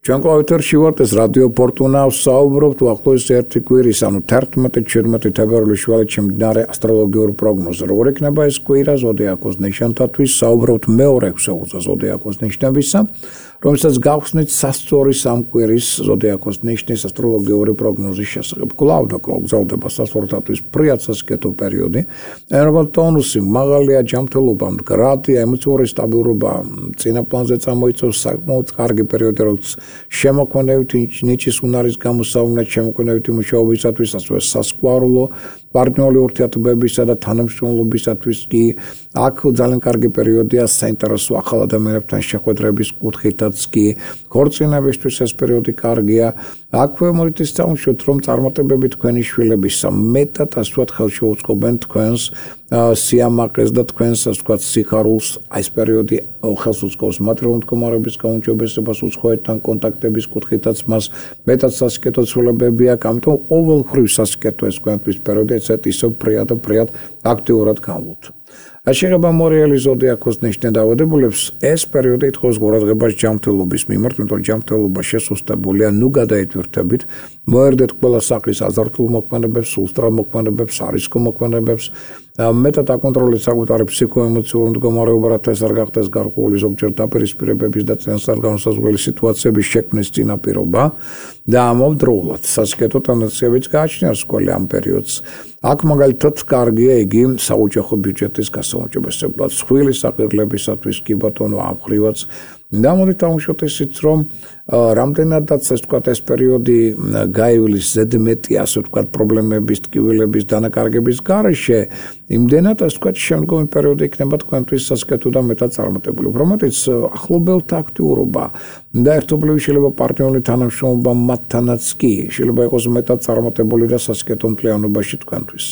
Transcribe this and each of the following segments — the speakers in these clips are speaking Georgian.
Ჩვენ კლავიატორში ვართ ეს რადიო ფორტუნა საუბრობთ უახლოეს ერთი კვირის, ანუ 11-17 თებერვლის შუალედში მიმდინარე ასტროლოგიურ პროგნოზზე. Როგორ იქნება ეს კვირა ზოდიაქოს ნიშნებთათვის, საუბრობთ მეორე ქსოვილზე ზოდიაქოს ნიშნებისა, რომელსაც გავხსნით სასწორი სამკვირის ზოდიაქოს ნიშნის ასტროლოგიური პროგნოზის შესახებ. კვლავ გრძელდება სასწორთათვის ფრიად სასკეთო პერიოდი, ენერგო ტონუსი მაღალია, ჯანმრთელობა მდგრადია, ემოციური სტაბილურობა წინა პლანზე წამოიწევს, საკმაოდ კარგი პერიოდი, როგორც შემოქმედებითი ნიჭის უნარის გამოსავლენად, შემოქმედებითი მუშაობისათვის, ასევე სასკვარულო პარტნიორული ურთიერთობებისა და თანამშრომლობისათვის კი აქ ძალიან კარგი პერიოდია საინტერესო ახალ ადამიანებთან შეხვედრების კუთხითაც კი ქორწინებისთვის ეს პერიოდი კარგია. აქვე მოდით ისწავლოთ, რომ წარმატებები თქვენი შვილებისა მეტად ასე ვთქვათ ხელშეუწყობენ თქვენს სიამაყეს და თქვენს ასე ვთქვათ სიხარულს. ეს პერიოდი ხელს უწყობს მატერიალური მდგომარეობის გაუმჯობესებას, უცხოეთთან კონტაქტების კუთხითაც მას მეტად სასიკეთო ცვლილებები აქვს, ამიტომ ყოველგვარი სასიკეთო ეს თქვენთვის პერიოდი ისევ ფრიად აქტიურად განვლოთ. Შეეხება მორიელი ზოდიაქოს ნიშნე დაავადებულებს, ეს პერიოდი ითხოვს ყურადღებას ჯანმრთელობის მიმართ, იმიტომ რომ ჯანმრთელობა შესუსტებულია, ნუ გადაიტვირთებით, მოერდეთ ყველა სახის აზართულ მოქმედებებს, სულსწრაფ მოქმედებებს, არისკო მოქმედებებს, მეტად აკონტროლეთ საკუთარი ფსიქოემოციური მდგომარეობა, რათა ეს არ გახდეს გარკვეული ზოგჯერ დაპირისპირებების და წინასწარ განსაზღვრელი სიტუაციების შექმნის წინაპირობა და ამავდროულად სასიკეთო ტენდენციებიც გააჩნია სკოლе ამ პერიოდს. აქ მაგალითად კარგია იგი საოჯახო ბიუჯეტის გასაუმჯობესებლად, სხვილი საყიდლებისათვის კი ბატონო ამ ხრივაც და მოდით დავუშვათ ისიც, რომ რამდენადაც ეს ვთქვათ ეს პერიოდი გაივლის ზედმეტი ასე ვთქვათ პრობლემების, ტკივილების, დანაკარგების გარეშე, იმდენად ასე ვთქვათ შემდგომი პერიოდი იქნება თქვენთვის სასიკეთო და მეტად წარმატებული. უფრო მეტიც ახლობელთა აქტიურობა და ერთობლივი შეიძლება პარტნიორული თანამშრომლობა მათთანაც კი შეიძლება იყოს მეტად წარმატებული და სასიკეთო მთლიანობაში თქვენთვის.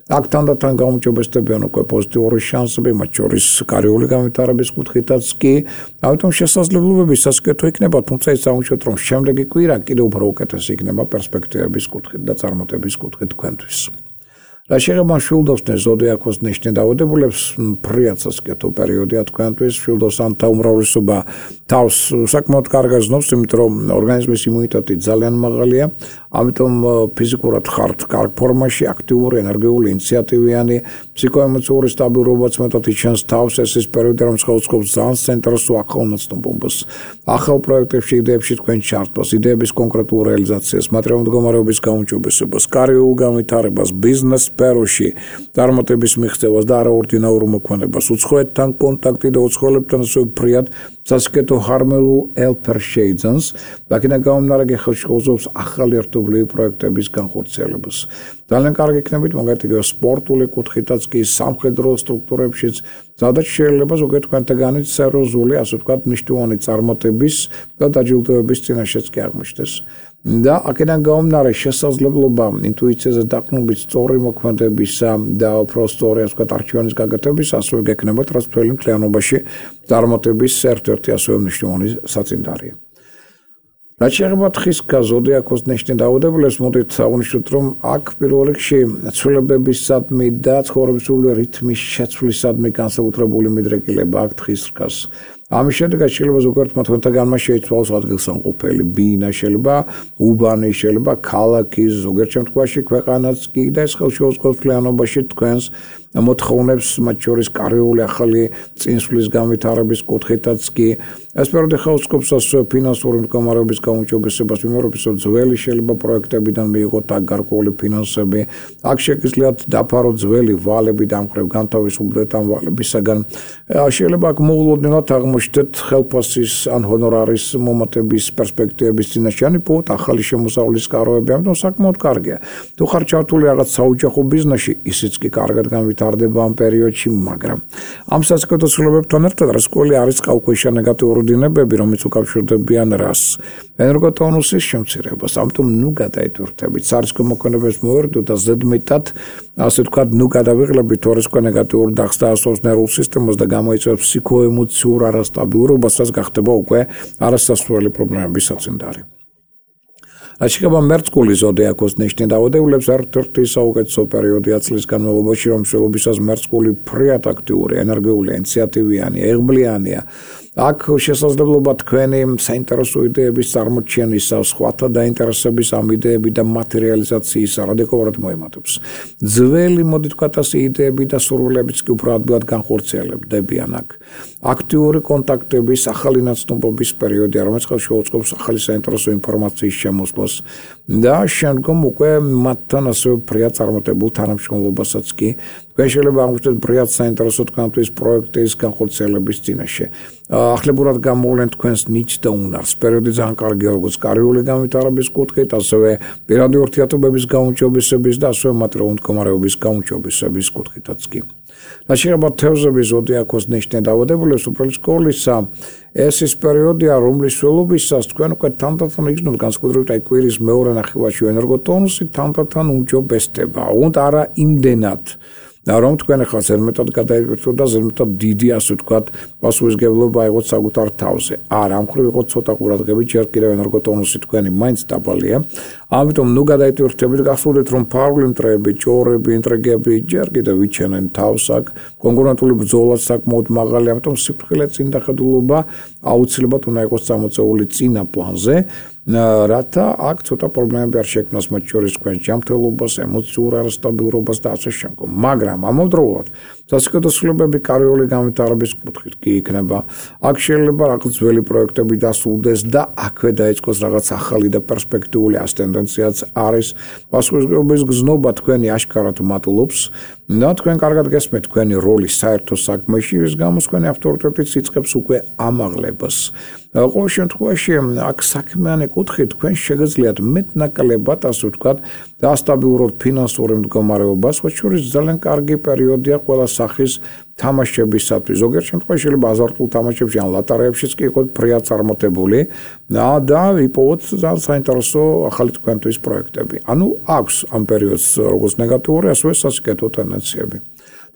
აქ თანდათან გაუმჯობესდებიან უკვე პოზიტიური შანსები, მათ შორის კარიერული განვითარების კუთხითაც კი, ამიტომ შესაძლებლობები სასიკეთო იქნება, თუმცა ის აღნიშნოთ, რომ შემდეგი კვირა კიდევ უფრო უკეთესი იქნება პერსპექტივების კუთხით და წარმატების კუთხით თქვენთვის. რა შეეხება შვილდოსნეს ზოდიაქოს ნიშნე დაავადებულებს, ფრიად სასიკეთო პერიოდია თქვენთვის, შვილდოსანთა უმრავლესობა თავს საკმაოდ კარგად ზნობს, იმიტომ რომ ორგანიზმის იმუნიტეტი ძალიან მაღალია, ამიტომ ფიზიკურად ხართ კარგ ფორმაში, აქტიური, ენერგიული, ინიციატივიანი, ფსიქოემოციური სტაბილურობაც მეტად იჩენს თავს, ეს ის პერიოდი, რომ ხელსაწყობს ძალიან საინტერესო ახალ ნაცნობობას, ახალ პროექტებში, იდეებში თქვენ ჩართვას, იდეების კონკრეტულ რეალიზაციას, მატერიალური მდგომარეობის გაუმჯობესებას, კარიერულ განვითარებას, ბიზნეს სფეროში, წარმატების მიღწევას და არაორდინარულ მოქმედებას, უცხოეთთან კონტაქტი და უცხოელებთან ასევე ფრიად სასიკეთო ჰარმონიულ ელფერ შეიძენს, აქედან გამომდინარე ხელშეუწყობს ახალი ერთობლივი პროექტების განხორციელებას. ძალიან კარგი იქნებით მაგალითად სპორტული კუთხითაც კი სამხედრო სტრუქტურებშიც, სადაც შეიძლება ზოგიერთ თქვენთაგანი სერიოზული, ასე ვთქვათ, მნიშვნელოვანი წარმატების და დაჯილდოების წინაშეც კი აღმოჩნდეს. და აქედან გამომდინარე შესაძლებლობა ინტუიციაზე დაყრდნობით სწორი მოქმედებისა და უფრო სწორი ასე ვთქვათ არჩევანის გაკეთების ასევე გექნებათ, რაც მთელი მთლიანობაში წარმატების ერთ-ერთი ასევე მნიშვნელოვანი საწინდარია. რაც შეეხება თხის ზოდიაქოს ნიშნე დაავადებულებს, მოდით აღნიშნოთ, რომ აქ პირველ რიგში ცვლილებებისადმი და ცხოვრებისული რითმის შეცვლისადმი განსაკუთრებული მიდრეკილება აქ თხის რგას. ამის შედეგად შეიძლება ზოგიერთმა თქვენთაგანმა შეიცვალოს ადგილსამყოფელი ბინა, შეიძლება უბანი, შეიძლება ქალაქი, ზოგიერთ შემთხვევაში ქვეყანაც კი და ეს ხელშეუწყობს მთლიანობაში თქვენს მოთხოვნებს, მათ შორის კარიერული ახალი წინსვლის განვითარების კუთხითაც კი. ეს პერიოდი ხელშეუწყობს ასევე ფინანსური მდგომარეობის გაუმჯობესებას, მიმართულებით ძველი შეიძლება პროექტებიდან მიიღოთ აქ გარკვეული ფინანსები. აქ შეგიძლიათ დაფაროთ ძველი ვალები და ამ მხრივ განთავისუფლდეთ ამ ვალებისაგან. შეიძლება აქ მოულოდნელად აღმოჩნდეთ ხელფასის ან ჰონორარის მომატების პერსპექტივების წინაშე, ან პოთ ახალი შემოსავლის სკაროები, ამიტომ საკმაოდ კარგია. თუ ხარ ჩართული რაღაც საოჯახო ბიზნესში, ისიც კი კარგად განვითარდება ამ პერიოდში, მაგრამ ამ სასიკეთო ცვლილებებთან ერთად რასკველი არის წყალქვეშა ნეგატიური დინებები, რომელიც უკავშირდებიან რას? ენერგოტონუსის შემცირებას, ამიტომ ნუ გადაიტვირთებით, სარისკო მოქმედებებს მოერდოთ და ზედმეტად, ასე ვთქვათ, ნუ გადავიღლებით რისკო ნეგატიურ დახს და ასოს ნერვულ სისტემას და გამოიწვევს ფსიქოემოციურ არასტაბილურობას, რაც გახდება უკვე არასასურველი პრობლემების საწინდარი. რაც შეეხება მერწყული ზოდიაქოს ნიშნით დაავადებულებს, ერთ-ერთი საუკეთესო პერიოდია წლის განმავლობაში, რომ მსვლელობისას მერწყული ფრიად აქტიური, ენერგიული, ინიციატივიანი, იღბლიანია. აქ შესაძლებლობა თქვენი საინტერესო იდეების წარმოჩენისა, სხვათა დაინტერესების ამ იდეები და მატერიალიზაციისა რადიკალურად მოემატებს. ძველი, მოდით ვთქვათ ასე, იდეები და სურვილებიც კი უფრო ადვილად განხორციელებდებიან აქ. აქტიური კონტაქტების, ახალი ნაცნობობის პერიოდია, რომელიც შეუწყობს ახალი საინტერესო ინფორმაციის შემოსვლას და შემდგომ უკვე მათთან ასევე ფრიად წარმატებულ თანამშრომლობასაც კი თქვენ შეიძლება აღმოჩნდეთ ფრიად საინტერესო თქვენთვის პროექტის განხორციელების წინაშე. ახლებურად გამოვლენ თქვენს ნიჭს და უნარს. პერიოდი ძალიან კარგია როგორც კარიერული განვითარების კუთხით, ასევე პირადი ურთიერთობების გაუმჯობესების და ასევე მატერიალური მდგომარეობის გაუმჯობესების კუთხითაც კი. რაც შეეხება თევზების ზოდიაქოს ნიშნით დაავადებულებს, უბრალოდ სკოლისა, ეს ის პერიოდია, რომლის მსვლელობისას თქვენ უკვე თანდათან იგრძნობთ განსაკუთრებით აი კვირის მეორე ნახევარში ენერგოტონუსი თანდათან უმჯობესდება. უნდა არა იმდენად რომ თქვენ ახლა ზედმეტად გადაიკვირთოთ და ზედმეტად დიდი ასე ვთქვათ პასუხისმგებლობა აიღოთ საკუთარ თავზე. არა, ამ მხრივ იყო ცოტა ყურადღებით, ჯერ კიდევ ენერგოტონუსი თქვენი მაინც დაბალია. ამიტომ ნუ გადაიტვირთებით, გახსოვდეთ რომ ფარული მტრეები, ჭორები, ინტრიგები ჯერ კიდევ ვიჩენენ თავს აქ, კონკურენტული ბრძოლაც საკმაოდ მაღალია, ამიტომ სიფრთხილე წინდახედულობა აუცილებლად უნდა იყოს წამოწეული წინა პლანზე. რათა აქ ცოტა პრობლემები არ შექმნას მათ შორის თქვენს ჯანმრთელობას, ემოციურ არასტაბილურობას და ასე შემდგომ. მაგრამ ამავდროულად სასიკეთო ცვლილებები კარიერული განვითარების კუთხით კი იქნება. აქ შეიძლება რაღაც ძველი პროექტები დასრულდეს და აქვე დაიწყოს რაღაც ახალი და პერსპექტიული ტენდენციაც არის. პასუხისმგებლობის გზნობა თქვენი აშკარად მატულობს და თქვენ კარგად გესმით თქვენი როლი საერთო საქმეში, რის გამოც თქვენი ავტორიტეტიც იწყებს უკვე ამაღლებას. ყოველ შემთხვევაში აქ საქმიანი კუთხით თქვენ შეგიძლიათ მეტნაკლებად ასე ვთქვათ დასტაბილუროთ ფინანსური მდგომარეობა, სხვა შორის ძალიან კარგი პერიოდია ყველა სახის თამაშებისათვის. ზოგიერთ შემთხვევაში შეიძლება აზარტულ თამაშებში ან ლატარეებშიც კი იყოთ ფრიად წარმატებული და იპოვოთ ძალიან საინტერესო ახალი თქვენთვის პროექტები. ანუ აქვს ამ პერიოდს როგორც ნეგატიური, ასევე სასიკეთო ტენდენციები.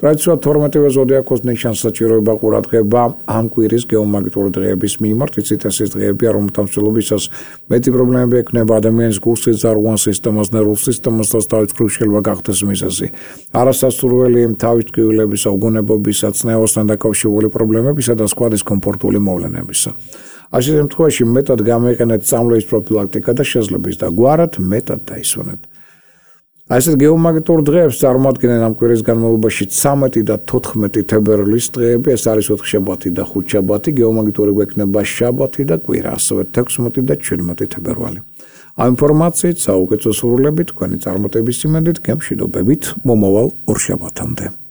ტრადიციულად 12-ვე ზოდიაქოს ნიშანს საჭიროება ყურადღება ამ კვირის გეომაგნიტური დღეების მიმართ. იცით, ეს დღეებია, რომელთა მსვლელობისას მეტი პრობლემები ექნება ადამიანის გულსის ძარღვან სისტემას, ნერვულ სისტემასაც თავის მხრივ შეიძლება გახდეს მიზეზი. არასასურველი თავის ტკივილებისა, უგონებობისა, წნევასთან დაკავშირებული პრობლემებისა და სხვა დისკომფორტული მოვლენებისა. ასე შემთხვევაში მეტად გამოიყენეთ წამლების პროფილაქტიკა და შესლების და გვარად მეტად დაისვენეთ. ასეთ გეომაგნიტურ დღეებს წარმოადგენენ ამ კვირის განმავლობაში 13 და 14 თებერვლის დღეები, ეს არის 4 შაბათი და 5 შაბათი, გეომაგნიტური გვექნება შაბათი და კვირა, ასევე 16 და 17 თებერვალი. ამ ინფორმაციით საუკეთესო სურვილებით თქვენი წარმატების იმედით, გემშვიდობებით, მომავალ ორ შაბათამდე.